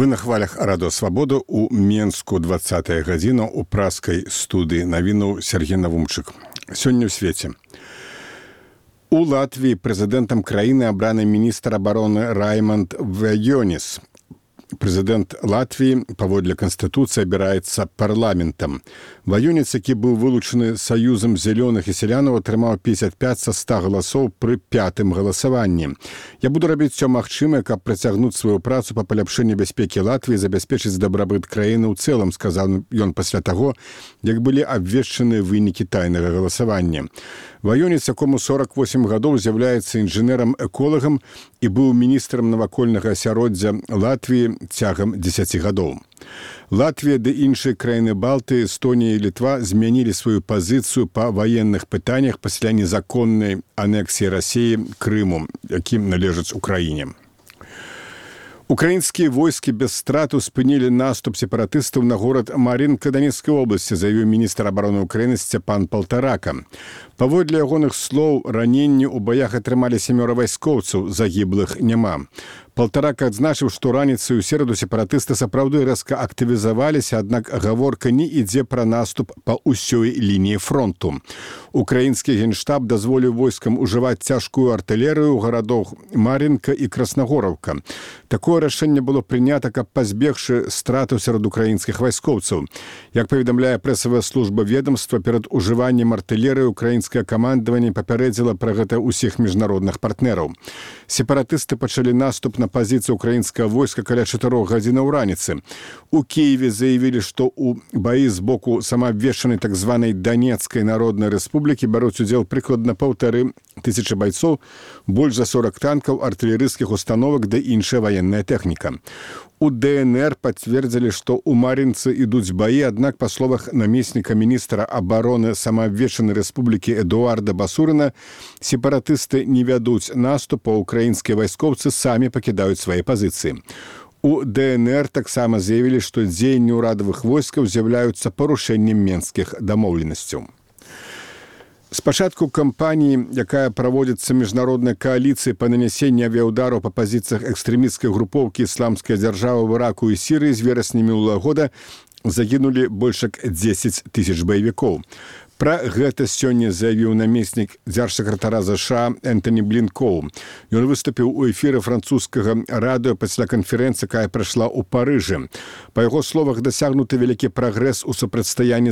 Вы на хвалях Радио Свабода у Менску 20-я гадзіна у праскай студыі навінаў Сергей Навумчык. Сёння ў свеце. У Латвіі прэзідэнтам краіны абраны міністр абароны Раймонд Ваёніс. Прэзідэнт Латвіі паводле Канстытуцыі абіраецца парламентам. Ваёніс, які быў вылучаны Саюзам зялёных і сялянаў, атрымаў 55 са 100 галасоў пры 5-м галасаванні. Я буду рабіць усё магчымае, каб працягнуць сваю працу па паляпшэнні бяспекі Латвіі і забяспечыць дабрабыт краіны ў цэлым, сказаў ён пасля таго, як былі абвешчаны вынікі тайнага галасавання. Ваёніс, якому 48 гадоў, з'яўляецца інжынерам-эколагам і быў міністрам навакольнага асяроддзя Латвіі цягам 10 гадоў. Латвія ды іншыя краіны Балтыі, Эстонія і Літва змянілі сваю пазіцыю па ваенных пытаннях пасля незаконнай анексіі Расіі Крыму, якім належыць Украіне. Украінскія войскі без страту спынілі наступ сепаратыстаў на горад Мар'інка Донецкай обласці, заявіў міністр абароны Украіны Сцяпан Палтарака. Паводле ягоных слоў, раненні ў баях атрымалі 7 вайскоўцаў, загіблых няма. Палтарака адзначыў, што раніцай у сераду сепаратысты сапраўды рэзка актывізаваліся, аднак гаворка не ідзе пра наступ па ўсёй лініі фронту. Украінскі генштаб дазволіў войскам ужываць цяжкую артылерыю ў гарадах Мар'інка і Краснагораўка. Такое рашэнне было прынята, каб пазбегчы стратаў сярод украінскіх вайскоўцаў. Як паведамляе прэсавая служба ведомства, перад ужываннем артылерыі украінскае камандаванне папярэдзіла пра гэта ўсіх міжнародных партнераў. Сепаратысты пачалі наступ на пазіцыю украінскага войска каля 4 гадзінаў раніцы. У Киеве заявілі, што ў баі з боку самаабвешчанай так званай Донецкай народнай рэспублікі бяруць удзел прыкладна 1500 байцоў, больш за 40 танкаў, артылерыйскіх установак ды іншая ваенная тэхніка. У ДНР пацвердзілі, што ў Мар'інцы ідуць баі, аднак, па словах намесніка міністра абароны самаабвешчанай рэспублікі Эдуарда Басурына, сепаратысты не вядуць наступ, а украінскія вайскоўцы самі пакідаюць свае пазіцыі. У ДНР таксама заявілі, што дзеянні ўрадавых войскаў з'яўляюцца парушэннем менскіх дамоўленасцяў. З пачатку кампаніі, якая праводзіцца міжнароднай кааліцыяй па нанясенні авіяўдараў па пазіцыях экстрэмісцкай групоўкі «Ісламская дзяржава» ў Іраку і Сірыі з верасня мінулага года загінулі больш як 10 000 баевікоў. Пра гэта сёння заявіў намеснік дзяржсакратара ЗША Энтані Блінкоў. Ён выступіў у эфіры французскага радыё пасля канферэнцыі, якая прайшла ў Парыжы. Па яго словах, дасягнуты вялікі прагрэс у супрацьстаянні